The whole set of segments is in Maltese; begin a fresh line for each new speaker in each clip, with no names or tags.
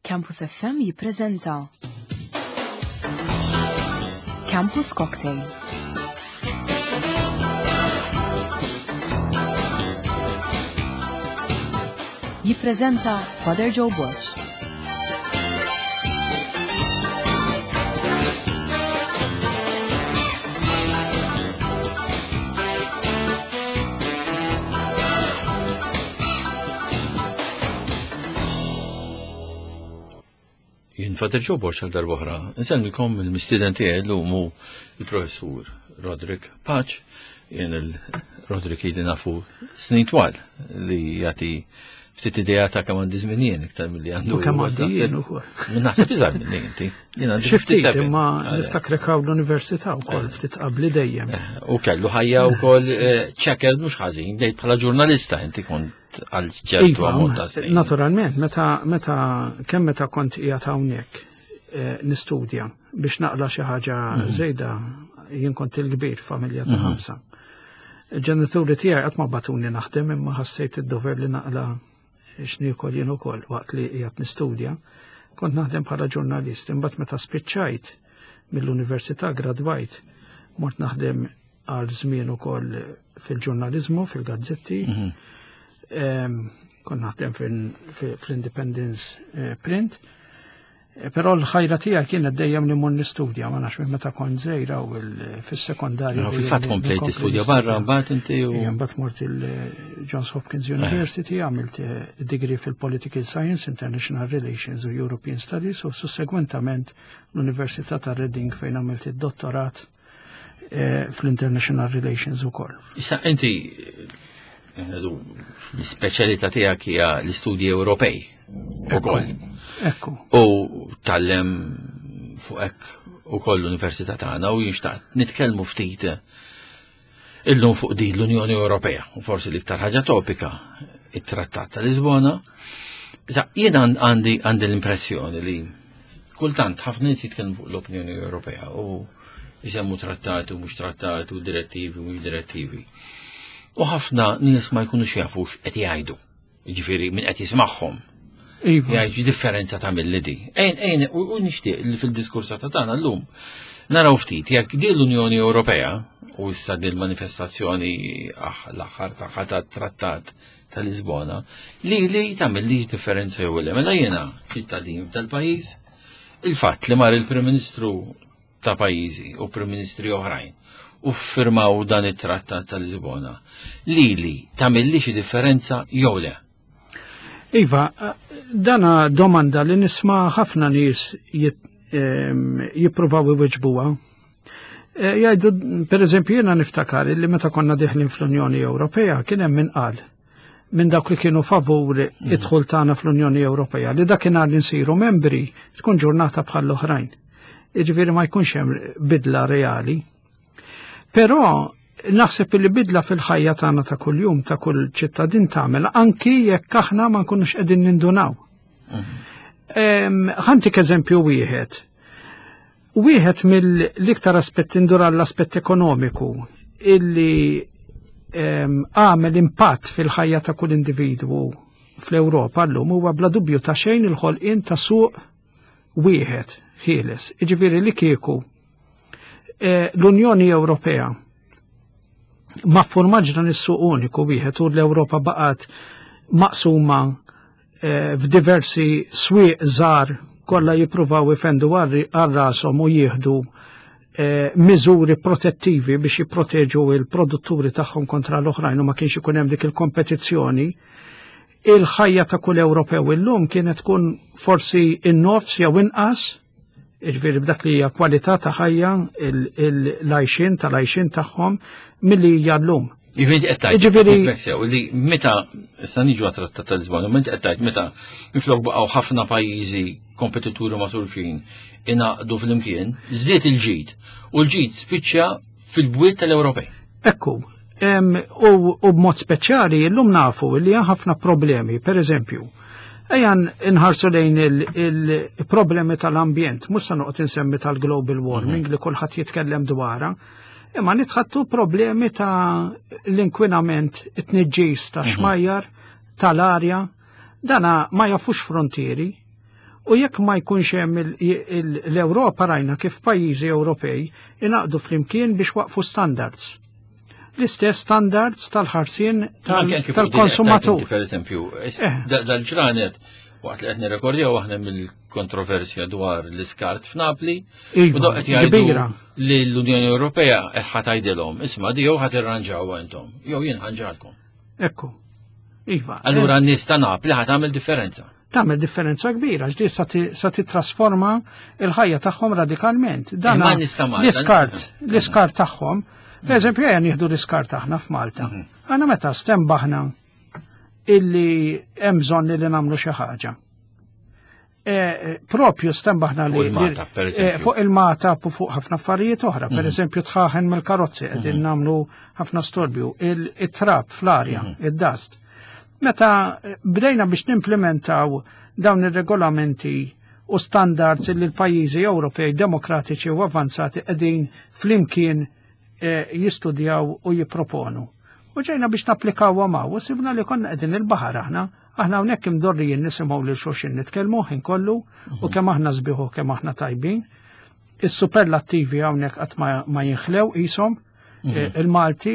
Campus FM jippreżenta Campus Cocktail. Jippreżenta Father Joe Borg.
Jien Father Joe Borg għal darb'oħra. Insellmikom il-mistieden tiegħi llum hu il-professur Roderick Paċ. Jien il-Roderick ili nafu snin twal li jagħti ftit idea ta' kemm għandi żmien jien iktar milli għandu.
U kemm għandi jien ukoll.
Naħseb iżgħar minni inti.
Jien għandi Xi ftit imma niftakrek hawn l-università wkoll eh. ftit qabli dejjem.
Eh, u kellu ħajja wkoll eh, ċekel mhux ħażin, bdejt bħala ġurnalista inti kont għal ċertu
iva,
ammont ta' snin.
Naturalment, meta meta kemm meta kont qiegħed hawnhekk nistudja biex naqla xi ħaġa mhm. żejda jien kont il-kbir familja ta' mhm. ħamsa. Il-ġenituri tiegħi qatt ma batuni naħdem imma ħassejt id-dover li naqla x'niekol jien ukoll waqt li qiegħed nistudja. Kont naħdem bħala ġurnalist, imbagħad meta spiċċajt mill-università gradwajt, mort naħdem għal żmien ukoll fil-ġurnaliżmu, fil-gazzetti. Mhm. Kont naħdem fl-Independence eh, Print. Eh, però l-ħajra tiegħi kienet dejjem li mmur nistudja, ma nafx minn meta kont żgħira u fis-sekondarja.
Fil-fatt komplejt tistudja barra mbagħad inti u.
Mbagħad mort il-Johns Hopkins eh. University, għamilt eh, degree fil-Political Science, International Relations u European Studies u sussegwentament l-Università ta' Reading fejn għamilt id-dottorat fl-International Relations ukoll.
Issa inti l-ispeċjalità tiegħek hija l-istudji Ewropej ukoll.
Ekku.
U tallem fuq hekk ukoll l-Università tagħna u jinxtaqt nitkellmu ftit illum fuq din l-Unjoni Ewropea u forsi l-iktar ħaġa topika it-Trattat ta' Lisbona. Jien għandi għandi l-impressjoni li kultant ħafna nies jitkellmu fuq l-Opinjoni Ewropea u jisemmu trattati u mhux trattati u direttivi u mhux direttivi. U ħafna nies ma jkunux jafux qed jgħidu. Jiġifieri min qed jismagħhom.
Iva.
Jgħid differenza ta' mill di. Ejn, ejn, u nixtieq li fil-diskursa ta' tagħna llum naraw ftit jekk din l-Unjoni Ewropea u issa din manifestazzjoni ah, l-aħħar tagħha tat-trattat ta' Lisbona li li tagħmel li differenza jew le. Mela jiena ċittadin tal-pajjiż, il-fatt li mar il-Prim Ministru ta' pajjiżi u Prim Ministri oħrajn u ffirmaw dan it-Trattat ta' Lisbona, lili tagħmilli xi differenza jew le?
Iva, dana domanda li nisma' ħafna nies jippruvaw iweġbuha. E, jgħidu, per eżempju, jiena niftakar li meta konna diħlin fl-Unjoni Ewropea kien hemm min qal minn dawk li kienu favur mm. id-dħul tagħna fl-Unjoni Ewropea li dakinhar li nsiru membri tkun ġurnata bħal oħrajn. Jiġifieri ma jkunx hemm bidla reali. Però naħseb li bidla fil-ħajja tagħna ta' kuljum ta' kull ċittadin tagħmel anki jekk aħna ma nkunux qegħdin nindunaw. Mm. Ħantik eżempju wieħed. Wieħed mill-iktar aspetti ndur għall-aspett ekonomiku illi għamel impatt fil-ħajja ta' kull individwu fl-Ewropa llum huwa bla dubju ta' xejn il-ħolqien ta' suq wieħed ħieles. Jiġifieri li kieku eh, l-Unjoni Ewropea ma formaġ dan is-suq uniku wieħed u l-Ewropa baqgħet maqsuma eh, f'diversi swieq żgħar kollha jippruvaw ifendu għal rashom u jieħdu eh, miżuri protettivi biex jipproteġu il-produtturi tagħhom kontra l-oħrajn u ma kienx ikun hemm dik il-kompetizzjoni, il-ħajja ta' kull Ewropew illum kienet tkun forsi in-nofs jew inqas, jiġifieri b'dak li hija kwalità ta' ħajja l-għajxien tal-għajxien tagħhom milli hija llum.
Jiġifieri qed tgħid. Jiġifieri li meta issa niġu għat-Trattat ta' Lisbona, meta qed tgħid meta minflok baqgħu ħafna pajjiżi kompetituri ma' xulxin ingħaqdu flimkien, żdied il-ġid u l-ġid spiċċa fil-bwiet tal-Ewropej.
Ekku, u b'mod speċjali llum nafu li hemm ħafna problemi, per eżempju, ejja nħarsu lejn il-problemi tal-ambjent, mhux se noqgħod insemmi tal-global warming mhm. li kulħadd jitkellem dwarha, imma nitħattu problemi ta' l-inkwinament, it-tniġġis ta' mhm. xmajjar, tal-arja, dana ma jafux frontieri. U jekk ma jkunx hemm l-Ewropa rajna kif pajjiżi Ewropej ingħaqdu flimkien biex waqfu standards. L-istess standards tal-ħarsien tal-konsumatur.
Per eżempju, eh. dal-ġranet waqt li qed nirrekordjaw aħna mill-kontroversja dwar l-iskart f'Napli,
iva, u
qed jgħidu li l-Unjoni Ewropea ħa tgħidilhom, isma' di jew ħa tirranġaw intom, jew jien ħanġalkom.
Ekku. Iva.
Allura n-nies ta' Napli ħa tagħmel differenza.
Tagħmel differenza kbira għax di sa titrasforma il-ħajja tagħhom radikalment.
Dan
l-iskart, l-iskart tagħhom. Per eżempju, ejja nieħdu l-iskart aħna f'Malta. Mhm. Aħna meta stembaħna illi hemm bżonn li nagħmlu xi ħaġa. Eh, propju stembaħna li
eh,
fuq il-mata u fuq ħafna affarijiet oħra, per mhm. eżempju tħaħen mill-karozzi qegħdin mhm. nagħmlu ħafna storbju, il-trab fl-arja, mhm. id-dust. Meta eh, bdejna biex nimplementaw dawn ir-regolamenti u standards li l-pajjiżi Ewropej demokratiċi u avanzati qegħdin flimkien jistudjaw u jipproponu. U ġejna biex napplikaw għamaw, u sibna li konna qegħdin il-baħar aħna, aħna hawnhekk imdorrijin nisimgħu lil xulxin nitkellmu ħin kollu u mhm. kemm aħna sbiħu kemm aħna tajbin. Is-superlattivi hawnhekk qatt ma jinħlew qishom, mhm. eh, il-Malti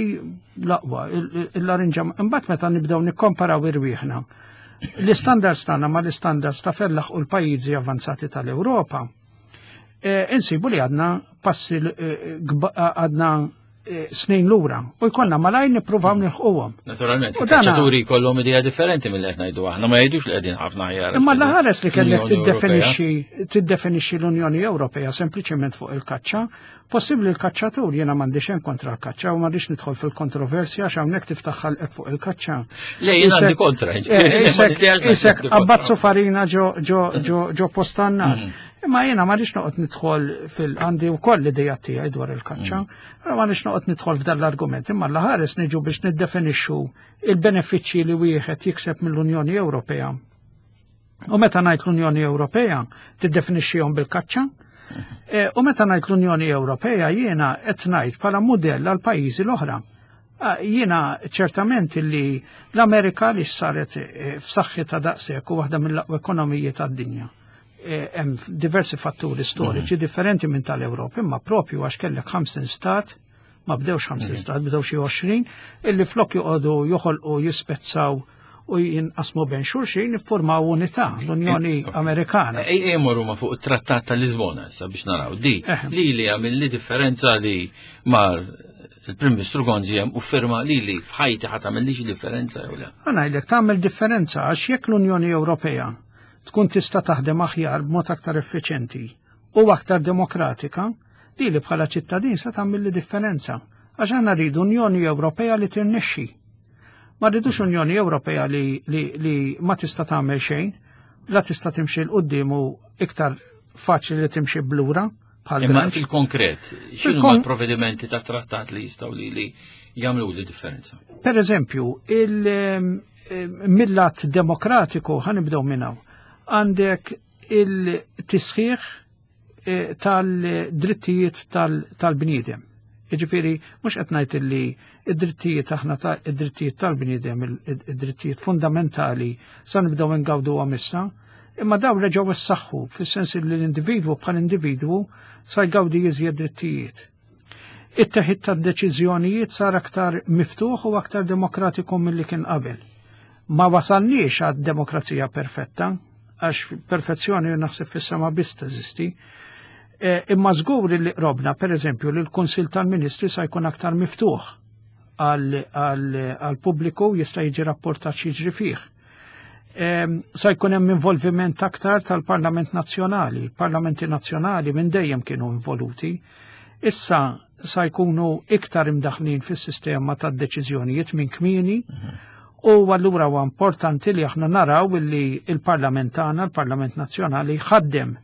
l-aqwa, il-larinġa, imbagħad meta nibdew nikkomparaw irwieħna. L-istandards tagħna ma l-istandards ta' fellaħ u l-pajjiżi avanzati tal-Ewropa Eh, insibu li għadna passi eh, għadna eh, snin lura u jkollna malajr nippruvaw mm. nilħquhom.
Naturalment, il-kaċċaturi jkollhom idea differenti mill qed ngħidu aħna ma jgħidux li qegħdin ħafna aħjar.
Imma l-ħares li kellek tiddefinixxi tiddefinixxi l-Unjoni Ewropea sempliċement fuq il-kaċċa, Possibbli l-kaċċatur jiena m'għandi xejn kontra l-kaċċa u m'għandix nidħol fil-kontroversja għax hawnhekk tiftaħ ħalqek fuq il-kaċċa.
Le jien għandi kontra.
Eh, isek abbazzu farina ġo ġo ġo ġo postannar. Mm. Imma jiena m'għandix noqgħod nidħol fil għandi wkoll l-idea tiegħi dwar il-kaċċa, mm. però m'għandix noqgħod nidħol f'dan l-argument, imma l-ħares niġu biex niddefinixxu il-benefiċċji li wieħed jikseb mill-Unjoni Ewropea U meta ngħid l-Unjoni Ewropea, tiddefinixxihom bil-kaċċa. E, u meta ngħid l-Unjoni Ewropea jiena qed ngħid bħala mudell għal pajjiżi l-oħra. Jiena ċertament li l-Amerika li saret e, f'saħħi ta' daqshekk u waħda mill-aqwa ekonomiji tad-dinja. E, hemm diversi fatturi storiċi mhm. differenti minn tal-Ewropa, imma propju għax kellek 50 stat ma bdewx 50 mhm. stat, bdew xi 20, illi flok joqogħdu joħolqu jispezzaw u jinqasmu bejn xulxin iffurmaw unità l-Unjoni Amerikana.
Ej morru ma fuq it-Trattat ta' Lisbona issa biex naraw di li li għamil li differenza li mar il-Prim Ministru Gonzi hemm u firma li li f'ħajti ħa tagħmel differenza jew le.
Ngħidlek tagħmel differenza għax jekk l-Unjoni Ewropea tkun tista' taħdem aħjar b'mod aktar effiċenti u aktar demokratika, li li bħala ċittadin se tagħmel li differenza għax aħna rridu Unjoni Ewropea li tirnexxi. Ma rridux Unjoni Ewropea li, li, li ma tista' tagħmel xejn, la tista' timxi 'l quddiem u iktar faċli li timxi blura
bħal Imma fil-konkret, x'inhu l-provvedimenti ta' trattat li jistgħu li li jagħmlu li differenza?
Per eżempju, il-millat demokratiku ħanibdew minn hawn. Għandek il-tisħiħ eh, tal-drittijiet tal-bniedem. Jiġifieri mhux qed ngħid illi id-drittijiet aħna ta' id-drittijiet tal-bniedem, id-drittijiet fundamentali sa nibdew ingawduhom issa, imma daw reġgħu issaħħu fis-sens li l-individwu bħal individwu sa jgawdi iżjed drittijiet. It-teħid tad-deċiżjonijiet sar aktar miftuħ u aktar demokratiku milli kien qabel. Ma wasalniex għad demokrazija perfetta, għax perfezzjoni naħseb fis-sema biss teżisti. E, imma żgur li qrobna, per eżempju, li l-Kunsil tal-Ministri sa jkun aktar miftuħ għal pubbliku jista' jiġi rapportat x'jiġri fih. E, sa jkun hemm involviment aktar tal-Parlament Nazzjonali. Parlamenti Nazzjonali minn dejjem kienu involuti. Issa sa jkunu iktar imdaħlin fis-sistema tad-deċiżjonijiet minn kmieni mhm. u allura huwa importanti li aħna naraw illi il-Parlament tagħna, il-Parlament Nazzjonali ħaddem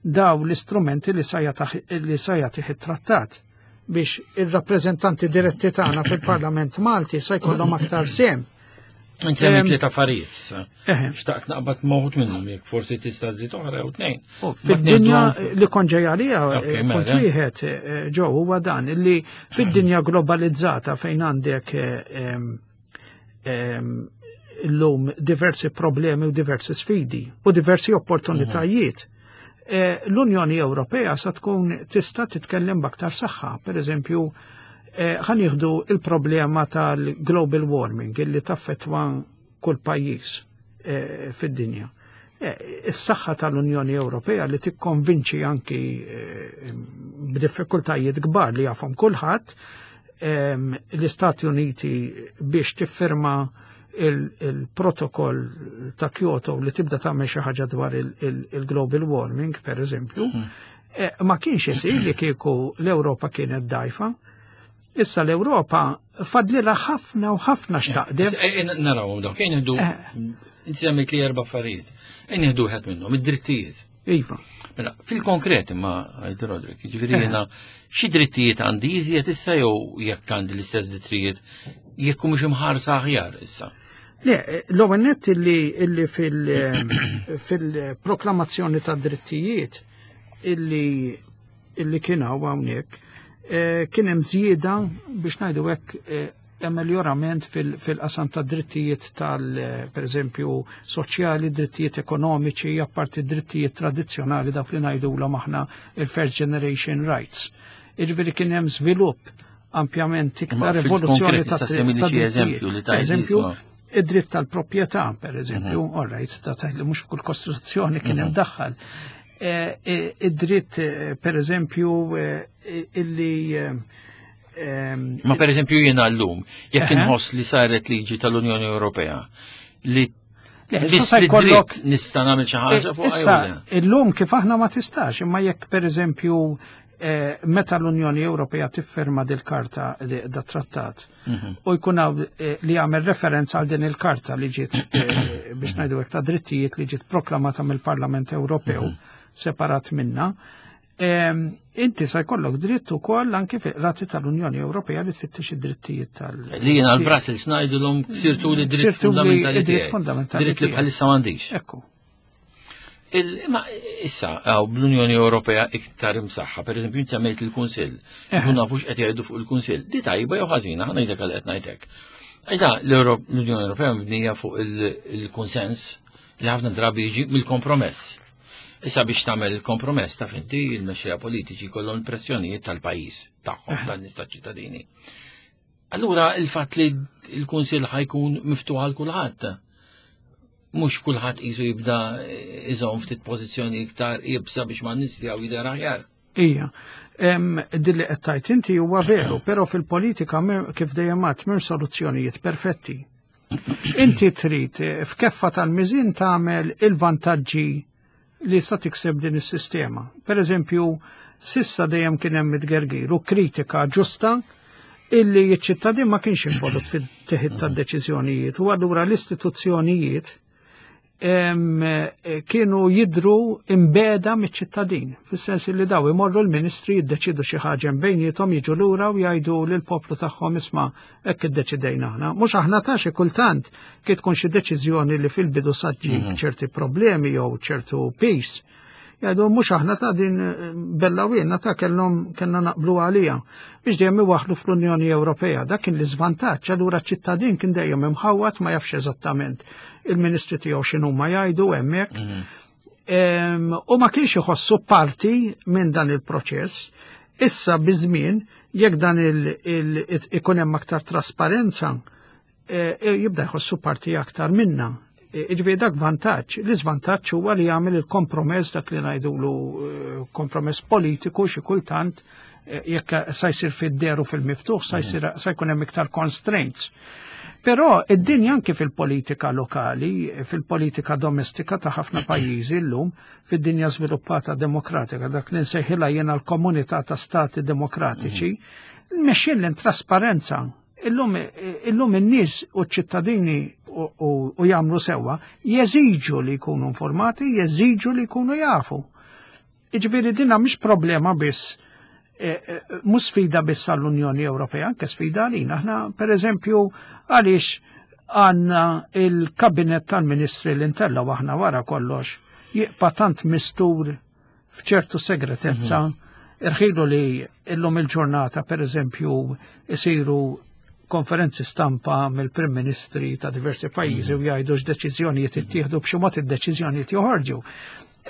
daw l-istrumenti li sa jagħtih it-trattat biex ir-rappreżentanti diretti tagħna fil-Parlament Malti sa jkollhom aktar sem.
Inti għamil tliet affarijiet issa. Xtaqt naqbad moħut minnhom jekk forsi tista' żid oħra jew tnejn.
Fid-dinja li kont ġej għalija, eh, mela. punt wieħed eh, ġew huwa dan illi fid-dinja globalizzata fejn għandek eh, illum diversi problemi u diversi sfidi u diversi opportunitajiet. Eh, L-Unjoni Ewropea sa tkun tista' titkellem b'aktar saħħa, per eżempju, eh, ħa nieħdu il-problema tal-global warming illi taffetwa kull pajjiż eh, fid-dinja. Is-saħħa tal-Unjoni Ewropea li tikkonvinċi anki b'diffikultajiet kbar li jafhom kulħadd l-Istati Uniti biex tiffirma il-protokoll ta' Kyoto li tibda tagħmel xi ħaġa dwar il-global warming, per eżempju, eh, ma kienx isir li kieku l-Ewropa kienet dajfa. Issa l-Ewropa fadlilha ħafna u ħafna x'taqdef.
Eh, eh, Narawhom dawk, ejn nieħdu inti semmejt li erba' affarijiet. Ejn nieħdu wieħed minnhom, id-drittijiet.
Iva.
Mela, fil-konkret imma għid Rodrik, jiġifieri jiena xi drittijiet għandi iżjed issa jew jekk għandi l-istess drittijiet jekk mhux imħarsa aħjar issa.
Le, l-ewwel nett illi fil-proklamazzjoni ta' drittijiet illi illi kien hawn hawnhekk eh, kien hemm żieda biex ngħidu hekk eh, ameljorament fil-qasam ta' drittijiet tal, eh, per eżempju, soċjali, drittijiet ekonomiċi, apparti drittijiet tradizzjonali dawk li ngħidulhom aħna il-first generation rights. Jiġifieri kien hemm żvilupp ampjament iktar evoluzzjoni ta'
drittijiet.
Eżempju, id-dritt tal-proprjetà, per eżempju, all right, ta' li mhux f'kull kostituzzjoni kien hemm daħħal. Eh, eh, id-dritt, eh, per eżempju, illi
Ma per eżempju jiena llum, jekk inħoss li saret liġi tal-Unjoni Ewropea li
issa jkollok
nista' nagħmel xi ħaġa fuq
Issa illum kif aħna ma tistax, imma jekk per eżempju meta l-Unjoni Ewropea tifferma dil-karta da trattat u jkun hawn li jagħmel referenza għal din il-karta li ġiet biex ngħidu hekk ta' drittijiet li ġiet proklamata mill-Parlament Ewropew separat minna, inti sa jkollok dritt ukoll anki fil-qrati tal-Unjoni Ewropea li tfittex id-drittijiet tal-
Li jiena l-Brussels ngħidulhom sirtu li dritt fundamentali
dritt fundamentali.
Dritt li bħalissa m'għandix.
Ekku.
Ma issa, għaw bl-Unjoni Ewropea iktar imsaħħa, per eżempju, semmejt il-Kunsill. Nkun nafux qed jgħidu fuq il-Kunsill. Di tajba jew ħażina, ħa ngħidlek għal qed ngħidlek. Ejda, l-Unjoni Ewropea mibnija fuq il-konsens li ħafna drabi jiġi mill-kompromess. Issa biex tagħmel il-kompromess taf inti il-mexxejja politiċi kollhom il-pressjonijiet tal-pajjiż tagħhom tan-nies taċ-ċittadini. Allura il-fatt li l-Kunsill ħajkun miftuħ għal kulħadd. Mhux kulħadd qisu jibda iżomm ftit pożizzjoni iktar iebsa biex ma' nies tiegħu jidher aħjar.
Ija, dilli qed tgħid inti huwa veru, però fil-politika kif dejjem għadt m'hemm soluzzjonijiet perfetti. Inti trid eh, f'keffa tal-miżin tagħmel il-vantaġġi li sa tikseb din is-sistema. Per eżempju, sissa dejjem kien hemm itgergir u kritika ġusta illi ċ-ċittadin ma kienx involut fit-teħid tad-deċiżjonijiet u allura l-istituzzjonijiet Eh, kienu jidru imbeda miċ-ċittadin, fis-sens li daw imorru l-ministri jiddeċidu xi ħaġa bejniethom jiġu lura u jgħidu lil poplu tagħhom isma' hekk iddeċidejna aħna. Mhux aħna ta' xi kultant kif tkun xi deċiżjoni li fil-bidu saġġib ċerti problemi jew ċertu peace. Jgħidu mhux aħna ta' din eh, bella wienna ta' kellhom kellna naqblu għalija biex dejjem iwaħħlu fl-Unjoni Ewropea. Dak kien l-iżvantaġġ, allura ċ-ċittadin kien dejjem imħawwad ma jafx eżattament il-ministri tiegħu x'inhuma jgħidu hemmhekk. U ma kienx iħossu parti minn dan il-proċess. Issa biż-żmien jekk dan ikun hemm aktar trasparenza, eh, eh, jibda jħossu parti aktar minna. Eh, Iġifieri dak vantaġġ. L-iżvantaġġ huwa li jagħmel il-kompromess dak li ngħidulu kompromess politiku xi kultant jekk sa jsir fid-deru fil-miftuħ sa jsir sa jkun hemm iktar constraints. Però id-dinja anke fil-politika lokali, fil-politika domestika ta' ħafna pajjiżi llum, fid-dinja żviluppata demokratika, dak li nsejħilha jiena l-komunità ta' stati demokratiċi, mexjin l-intrasparenza Illum illum in-nies u ċ-ċittadini u jagħmlu sewwa jeżiġu li jkunu informati, jeżiġu li jkunu jafu. Jiġifieri dinha mhix problema biss e, e, mhux sfida biss għall-Unjoni Ewropea, anke sfida għalina. Aħna pereżempju għaliex għandna il-kabinet tal-ministri li ntellgħu aħna wara kollox jibqa' tant mistur f'ċertu segretezza. Irħilu li illum il-ġurnata, per eżempju, isiru konferenzi stampa mill-Prim Ministri ta' diversi pajjiżi u jgħidu x'deċiżjonijiet ittieħdu, b'xi mod id-deċiżjonijiet joħorġu.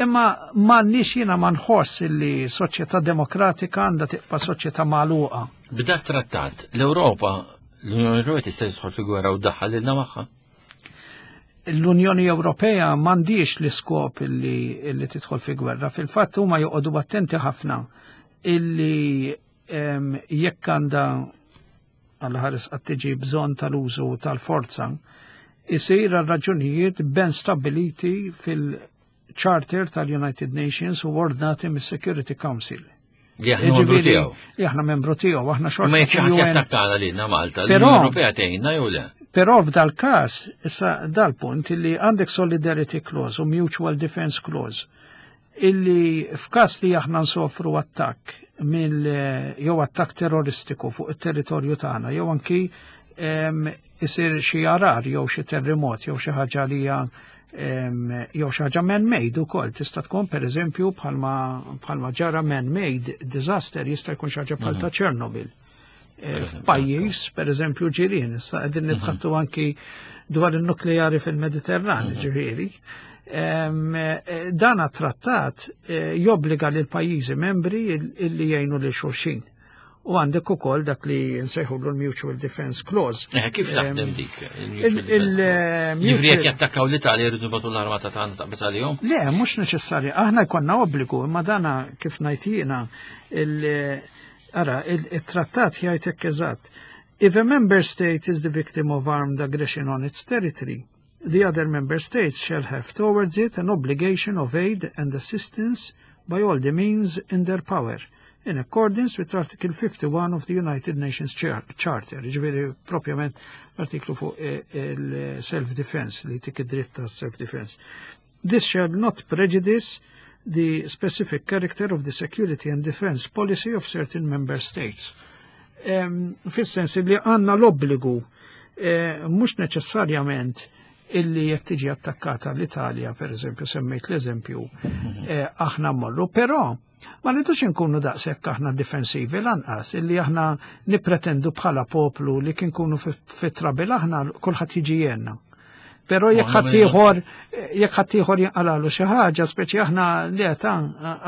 Imma m'għandniex, jiena ma nħoss li soċjetà demokratika għandha tibqa' soċjetà magħluqa.
B'dat trattat, l-Ewropa, l-Unjoni Ewropea tista' tidħol fi gwerra u ddaħħal lilna magħha?
L-Unjoni Ewropea m'għandix l-iskop illi tidħol fi gwerra. Fil-fatt huma joqogħdu attenti ħafna illi jekk għandha għal ħares qatt tiġi bżonn tal-użu tal-forza, isir għal raġunijiet ben stabiliti fil-Charter tal-United Nations u ordnati mis-Security Council.
Li aħna membru tiegħu.
Li aħna membru tiegħu, aħna xorta.
Ma jekk xi ħadd jattakkana lilna Malta, l-Unjoni Ewropea tgħinna jew le?
Però f'dal każ, issa dal-punt li għandek solidarity clause u mutual defense clause illi f'każ li aħna nsofru attakk mill jew attakk terroristiku fuq it-territorju tagħna jew anki isir xi arar jew xi terremot jew xi ħaġa li hija jew xi ħaġa man-made ukoll tista' tkun, pereżempju, bħalma ġara man-made disaster, jista' jkun xi ħaġa bħal ta' Chernobyl. F'pajjiż, pereżempju, ġirien, issa qegħdin nitħattu anki dwar il-nukleari fil-Mediterran, ġifieri. Dan trattat jobbliga lil pajjiżi membri illi jgħinu lil xulxin. U għandek ukoll dak li nsejħu l-Mutual Defense Clause.
Kif taħdem dik? Ġifieri jekk jattakkaw l-Italja jridu nibagħtu l-armata tagħna taqbeż għalihom?
Le, mhux neċessarja. Aħna jkollna obbligu, imma dana kif ngħid jiena, ara, il-trattat jgħid hekk eżatt. If a member state is the victim of armed aggression on its territory, the other member states shall have towards it an obligation of aid and assistance by all the means in their power, in accordance with Article 51 of the United Nations Charter. Ġifieri, propjament l-artiklu fuq il-self-defense, li tik id-dritt ta' self-defense. This shall not prejudice the specific character of the security and defense policy of certain member states. Fis-sens li għanna l-obbligu, mhux neċessarjament illi jekk tiġi attakkata l-Italja, per eżempju, semmejt l-eżempju, aħna mmorru, però ma rridux inkunu daqshekk aħna difensivi lanqas, illi aħna nippretendu bħala poplu li kien kunu fit-trouble aħna kulħadd jiġi jenna. Però jekk ħaddieħor jinqalalu xi ħaġa, speċi aħna li ta'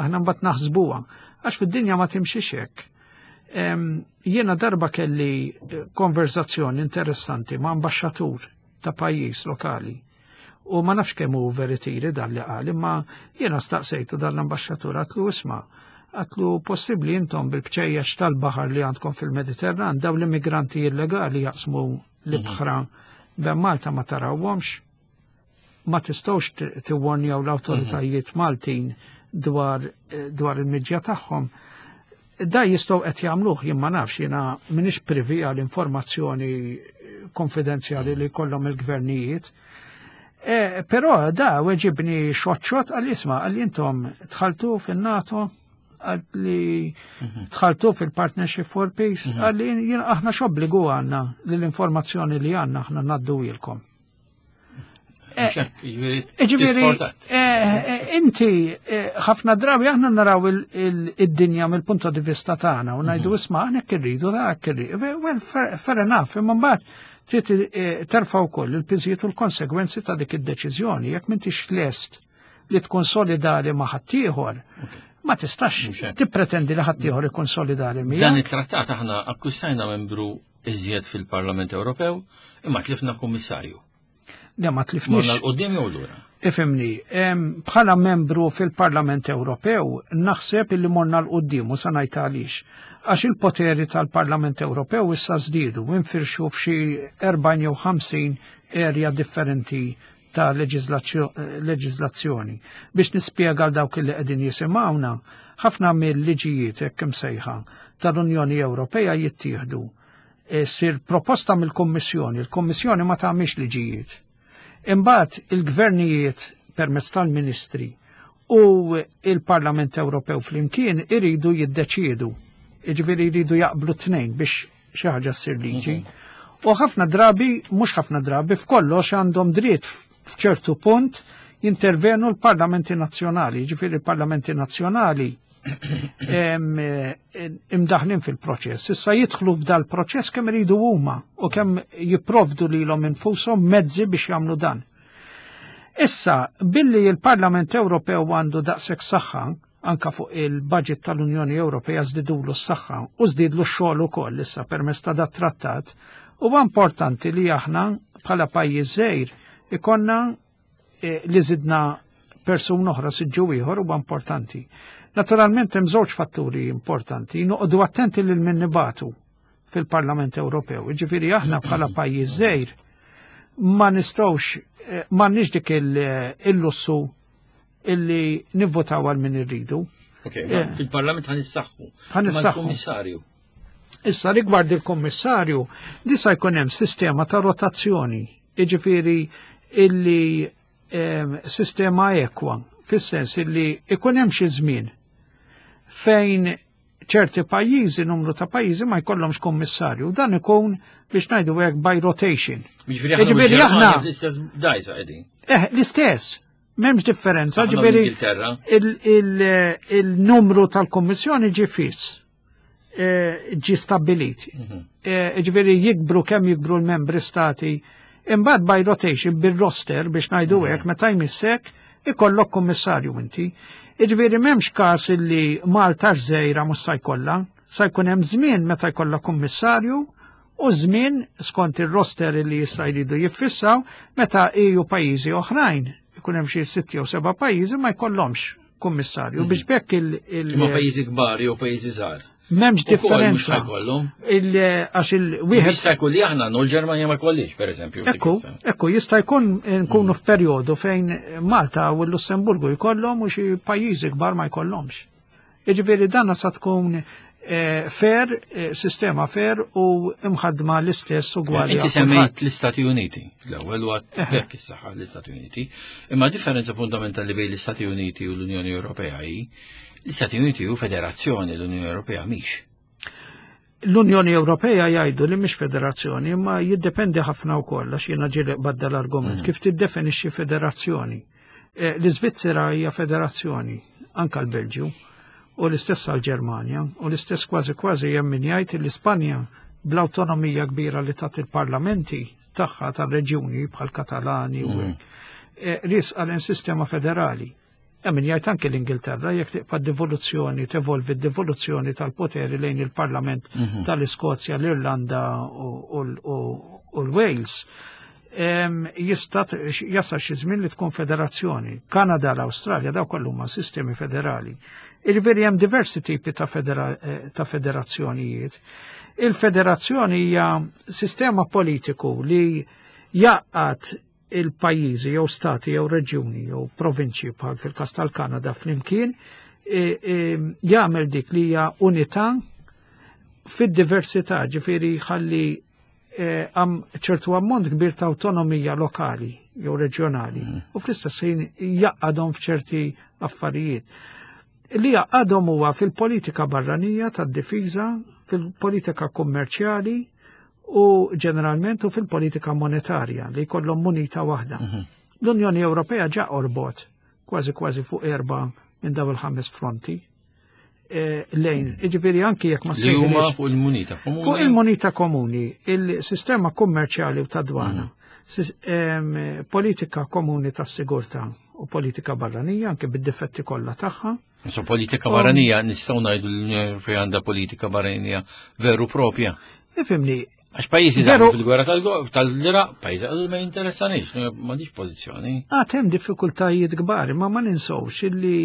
aħna mbagħad naħsbuha, għax fid-dinja ma timxix hekk. Jiena darba kelli konverzazzjoni interessanti ma' ambaxxatur ta' pajjiż lokali. U ma nafx kemm hu veritiri dan li qal, imma jiena staqsejtu dan l-ambaxxatur, għedtlu, "Isma'," għedtlu, "possibbli intom bil-bċejjex tal-baħar li għandkom fil-Mediterran, daw l-immigranti illegali jaqsmu l-ibħra ben Malta ma tarawhomx? Ma tistgħux tiwwarnjaw l-awtoritajiet Maltin dwar il-miġja tagħhom?" Da jistgħu qed jagħmluh, jien ma nafx, jiena m'iniex privy għal informazzjoni konfidenzjali li kollhom il-gvernijiet. Però da weġibni xoċċot, qal, "Isma'," qal, "intom dħaltu fin-NATO," qal li, "dħaltu fil-Partnership for Peace," qal li, "aħna x'obbligu għandna li l-informazzjoni li għandna aħna ngħadduhielkom?" Ġifieri, inti ħafna drabi aħna naraw id-dinja mill-punto di vista tagħna u ngħidu, "Isma', aħna hekk irridu, da hekk irridu." Well, fair enough, imma mbagħad trid terfa' wkoll il-piżijiet u l-konsegwenzi ta' dik id-deċiżjoni. Jekk m'intix lest li tkun solidali ma' ħaddieħor, ma tistax tippretendi li ħaddieħor ikun solidali miegħek.
Dan it-trattat aħna akkwistajna membru iżjed fil-Parlament Ewropew, imma tlifna kummissarju.
Le, ma tlifniex.
Morna 'l quddiem jew lura?
Ifhimni, bħala membru fil-Parlament Ewropew naħseb illi morna 'l quddiem u sa ngħid għaliex. Għax il-poteri tal-Parlament Ewropew issa żdiedu, infirxu f'xi 40 jew 50 area differenti ta' leġiżlazzjoni. Biex nispjega għal dawk li qegħdin jisimgħuna, ħafna mill-liġijiet hekk imsejħa tal-Unjoni Ewropea jittieħdu, ssir proposta mill-Kommissjoni, il-Kommissjoni ma tagħmilx liġijiet. Imbagħad il-gvernijiet permezz tal-ministri u il-Parlament Ewropew flimkien iridu jiddeċiedu. Jiġifieri jridu jaqblu tnejn biex xi ħaġa ssir liġi. U ħafna drabi, mhux ħafna drabi, f'kollox għandhom dritt f'ċertu punt. Jintervenu l-parlamenti nazzjonali, ġifieri l-parlamenti nazzjonali imdaħlin fil-proċess. Issa jidħlu f'dal proċess kemm iridu huma u kemm jipprovdu lilhom infushom mezzi biex jagħmlu dan. Issa, billi il-Parlament Ewropew għandu daqshekk saħħa, anka fuq il-budget tal-Unjoni Ewropea żdidulu s-saħħa u żdidlu x-xogħol ukoll issa permezz ta' dat trattat, huwa importanti li aħna bħala pajjiż żgħir ikonna eh, li żidna persuna oħra siġġu ieħor huwa importanti. Naturalment hemm żewġ fatturi importanti, noqogħdu attenti lil min nibatu fil-Parlament Ewropew. Jiġifieri aħna bħala pajjiż żgħir ma nistgħux eh, m'għandniex dik eh, il-lussu illi nivvotaw għal min irridu.
Ok, eh. fil-Parlament ħan issaħħu.
Ħan issaħħu.
Kummissarju.
Issa rigward il-Kummissarju, disa jkun hemm sistema ta' rotazzjoni, jiġifieri illi sistema ekwa, fis-sens illi ikun hemm xi żmien fejn ċerti pajjiżi, numru ta' pajjiżi ma jkollhomx kummissarju. Dan ikun biex ngħidu hekk by rotation.
Jiġifieri aħna l-istess dajsa qegħdin.
Eh, l-istess. M'hemmx differenza, ġifieri il-numru tal-kummissjoni ġie fiss. Eh, ġi stabbilit. Mhm. Eh, ġifieri jikbru kemm jikbru l-membri stati, imbagħad by rotation bil-roster biex ngħidu mhm. hekk meta jmissek ikollok kummissarju inti. Ġifieri m'hemmx każ illi Malta żejra mhux sa jkollha, sa jkun hemm żmien meta jkollha kummissarju u żmien skont ir-roster li jista' jridu jiffissaw meta EU pajjiżi oħrajn ikun hemm xi sitt jew seba' pajjiżi ma jkollhomx kummissarju mm. biex bekk il-.
Imma pajjiżi kbar jew pajjiżi żgħar.
M'hemmx differenza. Għax il-wieħed.
Jista' jkun li aħna nu l-Ġermanja ma jkollix, pereżempju.
Ekku, ekku, jista' jkun nkunu mm. f'perjodu fejn Malta u l-Lussemburgu jkollhom u xi pajjiżi kbar ma jkollhomx. Jiġifieri dan sa tkun eh, fair, eh, sistema fair u imħadma l-istess ugwali.
Inti semmejt l-Istati Uniti, l-ewwel u hekk is-saħħa l-Istati Uniti, imma differenza fundamentali bejn l-Istati Uniti u l-Unjoni Ewropea hi l-Istati Uniti hu federazzjoni l-Unjoni Ewropea mhix.
L-Unjoni Ewropea jgħidu li mhix federazzjoni, imma jiddependi ħafna wkoll għax jiena ġieli badda l-argument mm. kif tiddefinixxi federazzjoni. Eh, L-Iżvizzera hija federazzjoni, anka l-Belġju, u l-istess għall-Ġermanja, u l-istess kważi kważi hemm min jgħid li Spanja bl-awtonomija kbira li tat il-parlamenti tagħha tar-reġjuni bħal Katalani u mm. hekk, eh, risqa l sistema federali. Hemm min jgħid anke l-Ingilterra jekk tibqa' devoluzzjoni, tevolvi d-devoluzzjoni tal-poteri lejn il-Parlament mhm. tal-Iskozja, l-Irlanda u l-Wales. Jista' jasal xi żmien li tkun federazzjoni. Kanada, l-Awstralja, daw kollu huma sistemi federali. Jiġifieri hemm diversi tipi ta' eh, federazzjonijiet. Il-federazzjoni hija sistema politiku li jaqgħad il-pajjiżi jew stati jew reġjuni jew provinċji bħal fil-każ tal-Kanada flimkien e, e, jagħmel dik li hija unità fid-diversità, ġifieri jħalli e, ċertu ammont kbir ta' awtonomija lokali jew reġjonali mm. u fl-istess ħin jaqadhom f'ċerti affarijiet. Li jaqadhom huwa fil-politika barranija tad-difiża, fil-politika kummerċjali, u ġeneralment u fil-politika monetarja li jkollhom munita waħda. Mhm. L-Unjoni Ewropea ġa orbot kważi kważi fuq erba minn daw il-ħames fronti e, lejn. Iġifieri anki jekk ma
sejħilx fuq il-munita komuni.
Fuq il-munita komuni, il-sistema kummerċjali u ta' dwana, mhm. politika komuni tas sigurtà u politika barranija anke bid-difetti kollha tagħha.
So politika barranija nistgħu ngħidu l-Unjoni Ewropea għandha politika barranija veru propja.
Ifimni.
Għax pajjiżi veru fil-gwerra tal-Iraq, pajjiżi għadu ma jinteressanix, m'għandix pożizzjoni.
Għad hemm diffikultajiet kbar, ma ma ninsewx illi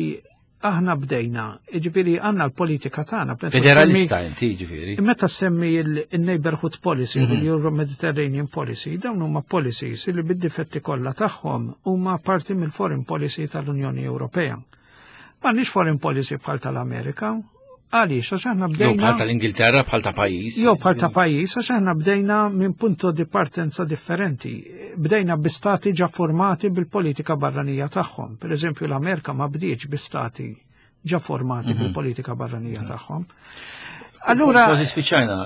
aħna bdejna, ġifieri għandna l-politika tagħna.
Federalista inti ġifieri.
Meta semmi il-Neighborhood Policy, mhm. il-Euro Mediterranean Policy, dawn huma policies li bid-difetti kollha tagħhom huma parti mill-foreign policy tal-Unjoni Ewropea. M'għandniex foreign policy bħal tal-Amerika. Għaliex, għax aħna bdejna.
Jew bħal tal-Ingilterra bħal ta' pajjiż.
Jew bħal ta' pajjiż, għax aħna bdejna minn punto di partenza differenti. Bdejna bi stati ġa formati bil-politika barranija tagħhom. Per eżempju, l-Amerika ma bdietx bi stati ġa formati mhm. bil-politika barranija tagħhom. Allura.
Kważi spiċċajna,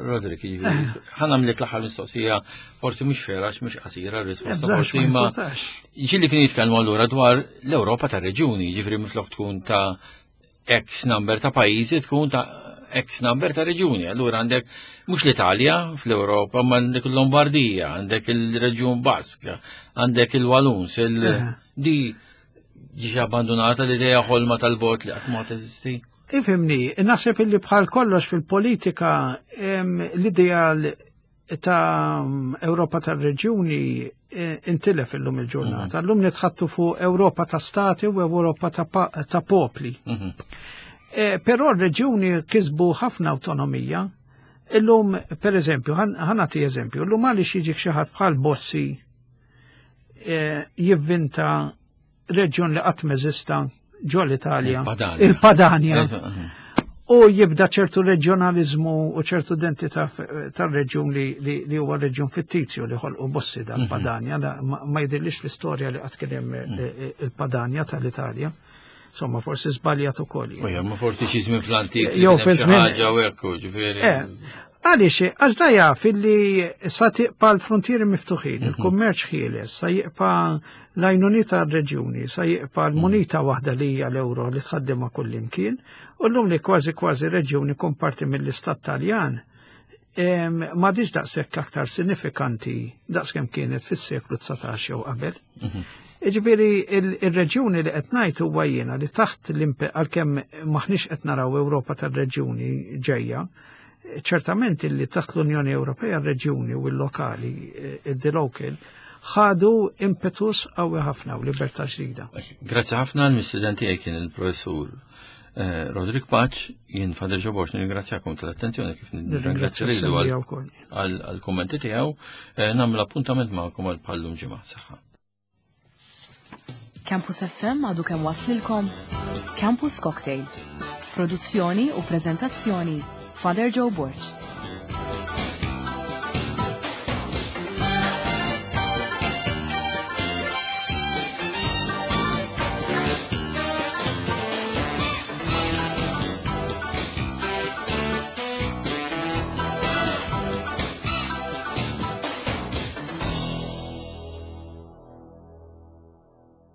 Roderick, jiġifieri. Eh. Ħa nagħmlek l-aħħar mistoqsija, forsi mhux fera, mhux qasira r-risposta, eh, forsi ma. Ġieli kien jitkellmu allura dwar l-Ewropa ta' reġjuni, jiġifieri minflok tkun ta' X number ta' pajjiżi tkun ta' X number ta' reġjuni. Allura għandek mhux l-Italja fl-Ewropa, ma għandek il-Lombardija, għandek il-Reġjun Bask, għandek il-Waluns, il eh. di ġiġ abbandonata l-idea ħolma tal-bot li qatt ma teżisti.
Ifimni, naħseb illi bħal kollox fil-politika l-ideal ta' Ewropa tal-reġjuni eh, intilef illum il-ġurnata. Illum nitħattu fuq Ewropa ta' stati u Ewropa ta' popli. Eh, però r-reġjuni kisbu ħafna autonomija. Illum, per eżempju, ħanati eżempju, illum għaliex jiġik xi ħadd bħal Bossi eh, jivvinta reġjun li qatt m'eżista ġo l-Italja, il-Padania. U jibda ċertu reġjonalizmu u ċertu identità tal-reġjun li huwa reġjun fittizju li ħolqu Bossi dal-Padania, ma jidhirlix fl-istorja li qatt kien hemm eh, eh, il-Padania tal-Italja. Insomma, forsi żbaljat ukoll.
Ujja, ma forsi xi żmien fl-antik.
Jew fi żmien.
Ħaġa u hekk, ġifieri.
Eh, għaliex, għax da jaf illi sa tiqpa l-frontieri miftuħin, il-kummerċ ħieles, sa jiqpa l-għajnuniet għar-reġjuni, sa jiqpa l-munita waħda li hija l-euro li tħaddimha kullimkien, u llum li kważi kważi reġjun ikun parti mill-Istat Taljan, m'għadhiex daqshekk aktar sinifikanti daqskemm kienet fis-seklu 19 jew qabel. Iġifieri il-reġjuni li qed ngħid huwa jiena li taħt l-impe għalkemm maħniex qed naraw Ewropa tar-reġjuni ġejja, ċertament illi taħt l-Unjoni Ewropea r-reġjuni u l-lokali, eh, the local, ħadu impetus qawwi ħafna u libertà ġdida.
Grazzi ħafna l-mistiden tiegħi kien il-professur eh, Roderick Paċ, jien Fader Ġoborx nirringrazzjakom tal-attenzjoni kif nirringrazzja lilu għall-kummenti tiegħu, eh, nagħmel appuntament magħkom għal bħallum ġimgħa. Saħħa.
Campus FM għadu kemm waslilkom Campus Cocktail. Produzzjoni u prezentazzjoni Father Joe Borg.